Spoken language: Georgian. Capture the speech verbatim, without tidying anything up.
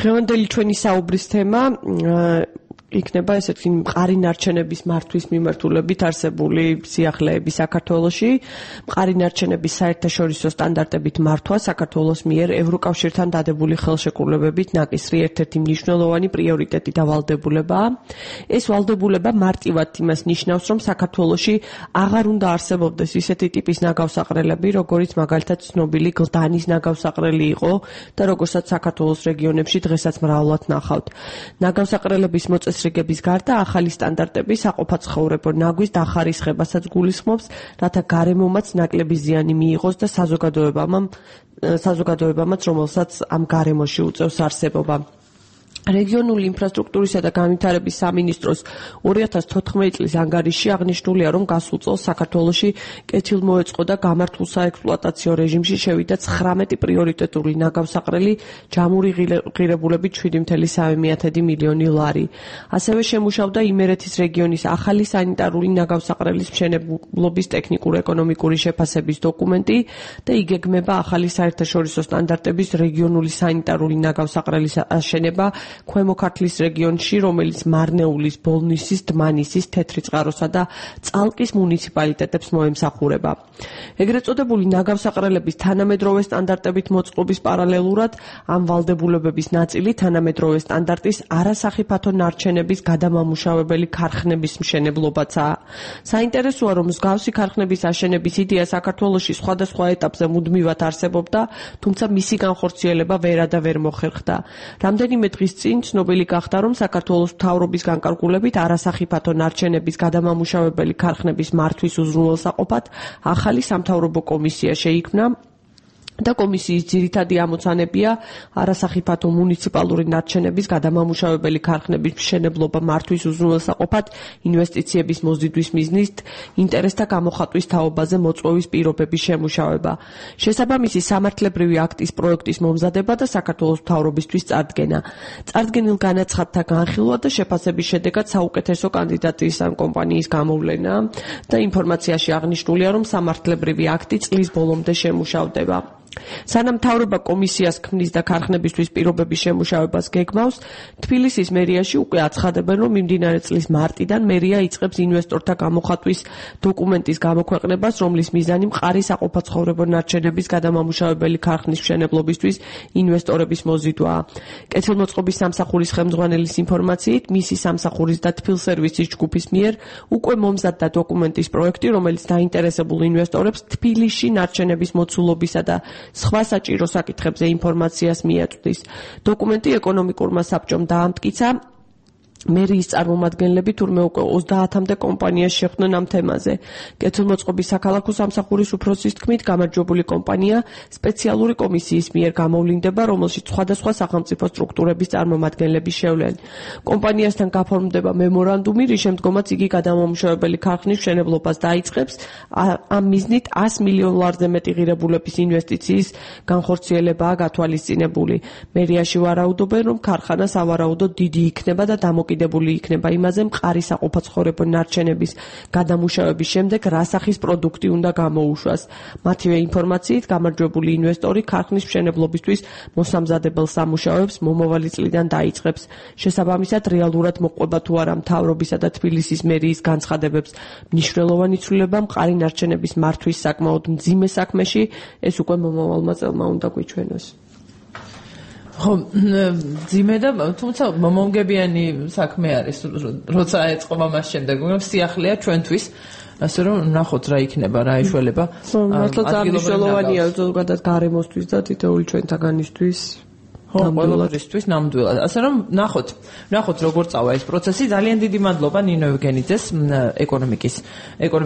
დღევანდელი ჩვენი საუბრის თემა იქნება ესეთი მყარი ნარჩენების მართვის მიმართულებით არსებული სიახლეები საქართველოში. მყარი ნარჩენების საერთაშორისო სტანდარტებით მართვა საქართველოს მიერ ევროკავშირთან დადებული ხელშეკრულებებით ნაკისრი ერთ-ერთი მნიშვნელოვანი პრიორიტეტი და ვალდებულებაა. ეს ვალდებულება მარტივად იმას ნიშნავს, რომ საქართველოში აღარ უნდა არსებობდეს ისეთი ტიპის ნაგავსაყრელები, როგორიც მაგალითად ცნობილი გლდანის ნაგავსაყრელი იყო და როგორცაც საქართველოს რეგიონებში დღესაც მრავლად ნახავთ. ნაგავსაყრელების მოწესრიგების რიგების გარდა ახალი სტანდარტები საყოფაცხოვრებო ნაგვის დახარისხებასაც გულისხმობს, რათა გარემომაც ნაკლები ზიანი მიიღოს და საზოგადოებამ საზოგადოებამაც, რომელსაც ამ გარემოში უწევს არსებობა. რეგიონული ინფრასტრუქტურისა და განვითარების სამინისტროს ორი ათას თოთხმეტი წლის ანგარიშში აღნიშნულია, რომ გასულ წელს საქართველოში კეთილმოეწყო და გამართულ საექსპლუატაციო რეჟიმში შევიდა ცხრამეტი პრიორიტეტული ნაგავსაყრელი ჯამური ღირებულებით შვიდი წუთი სამი მილიონი ლარი. ასევე შემუშავდა იმერეთის რეგიონის ახალი სანიტარული ნაგავსაყრელის მშენებლობის ტექნიკურ-ეკონომიკური შეფასების დოკუმენტი და იგეგმება ახალი საერთაშორისო სტანდარტების რეგიონული სანიტარული ნაგავსაყრელის აშენება ქვემო ქართლის რეგიონში, რომელიც მარნეულის, ბოლნისის, დმანისის, თეთრიწყაროსა და წალკის მუნიციპალიტეტებს მოემსახურება. ეგრეთ წოდებული ნაგავსაყრელების თანამედროვე სტანდარტებით მოწყობის პარალელურად ამ ვალდებულებების ნაწილი თანამედროვე სტანდარტის არასახიფათო ნარჩენების გადამამუშავებელი ქარხნების მშენებლობაცაა. საინტერესოა, რომ მსგავსი ქარხნების აშენების იდეა საქართველოში სხვადასხვა ეტაპზე მუდმივად არსებობდა, თუმცა მისი განხორციელება ვერა და ვერ მოხერხდა. რამდენიმე დღის წინ ცნობილი გახდა, რომ საქართველოს მთავრობის განკარგულებით არასახიფათო ნარჩენების გადამამუშავებელი ქარხნების მართვის უზრუნველსაყოფად ახალი სამთავრობო კომისია შეიქმნა და კომისიის ძირითადი ამოცანებია არასახიფათო მუნიციპალური ნარჩენების გადამამუშავებელი ქარხნების მშენებლობა მართვის უზრუნველსაყოფად ინვესტიციების მოზიდვის მიზნით ინტერესთა გამოხატვის თაობაზე მოწვევის პირობების შემუშავება. შესაბამისი სამართლებრივი აქტის პროექტის მომზადება და საქართველოს მთავრობისთვის წარდგენა. წარდგენილ განაცხადთა განხილვა და შეფასების შედეგად საუკეთესო კანდიდატის ან კომპანიის გამოვლენა და ინფორმაციაში აღნიშნულია, რომ სამართლებრივი აქტი წლის ბოლომდე შემუშავდება. სანამ მთავრობა კომისიას ქმნის და ქარხნებისთვის პირობების შემუშავებას გეგმავს, თბილისის მერიაში უკვე აცხადებენ, რომ მიმდინარე წლის მარტიდან მერია იწყებს ინვესტორთა გამოხატვის დოკუმენტის გამოქვეყნებას, რომლის მიზანი მყარი საყოფაცხოვრებო ნარჩენების გადამამუშავებელი ქარხნის მშენებლობისთვის ინვესტორების მოზიდვაა. კეთილმოწყობის სამსახურის ხელმძღვანელის ინფორმაციით, მისი სამსახურის და თბილსერვისის ჯგუფის მიერ უკვე მომზადდა დოკუმენტის პროექტი, რომელიც დაინტერესებულ ინვესტორებს თბილისში ნარჩენების მოცულობისა და სხვა საჭირო საკითხებზე ინფორმაციას მიაწვდის. დოკუმენტი ეკონომიკურმა საბჭომ დაამტკიცა. მერიის წარმომადგენლები თურმე უკვე ოცდაათამდე კომპანიას შეხვდნენ ამ თემაზე. კეთილმოწყობის საქალაქო სამსახურის უფროსის თქმით, გამარჯვებული კომპანია სპეციალური კომისიის მიერ გამოვლინდება, რომელშიც სხვადასხვა სახელმწიფო სტრუქტურების წარმომადგენლები შევლენ. კომპანიასთან გაფორმდება მემორანდუმი, რის შემდგომაც იგი გადამამუშავებელი ქარხნის მშენებლობას დაიწყებს. ამ მიზნით ას მილიონ ლარზე მეტი ღირებულების ინვესტიციის განხორციელებაა გათვალისწინებული. მერიაში ვარაუდობენ, რომ ქარხანა სავარაუდოდ დიდი იქნება და დამოკიდებული იქნება იმაზე, მყარი საყოფაცხოვრებო ნარჩენების გადამუშავების შემდეგ რა სახის პროდუქტი უნდა გამოუშვას. მათივე ინფორმაციით, გამარჯვებული ინვესტორი ქარხნის მშენებლობისთვის მოსამზადებელ სამუშაოებს მომავალი წლიდან დაიწყებს. შესაბამისად, რეალურად მოყვება თუ არა მთავრობისა და თბილისის მერიის განცხადებებს მნიშვნელოვანი ცვლილება მყარი ნარჩენების მართვის საკმაოდ მძიმე საქმეში, ეს უკვე მომავალმა წელმა უნდა გვიჩვენოს. ხო, ძიმე და თუმცა მომგებიანი საქმე არის, როცა ეწყობა მას შემდეგ, მაგრამ სიახლეა ჩვენთვის, ასე რომ ნახოთ რა იქნება, რა ეშველება. მართლაც მნიშვნელოვანია ზოგადად გარემოსთვის და თითოეული ჩვენთაგანისთვის. ხო, ყველასთვის ნამდვილად. ასე რომ ნახოთ, ნახოთ როგორ წავა ეს პროცესი. ძალიან დიდი მადლობა ნინო ევგენიძეს, ეკონომიკის ეკონომიკის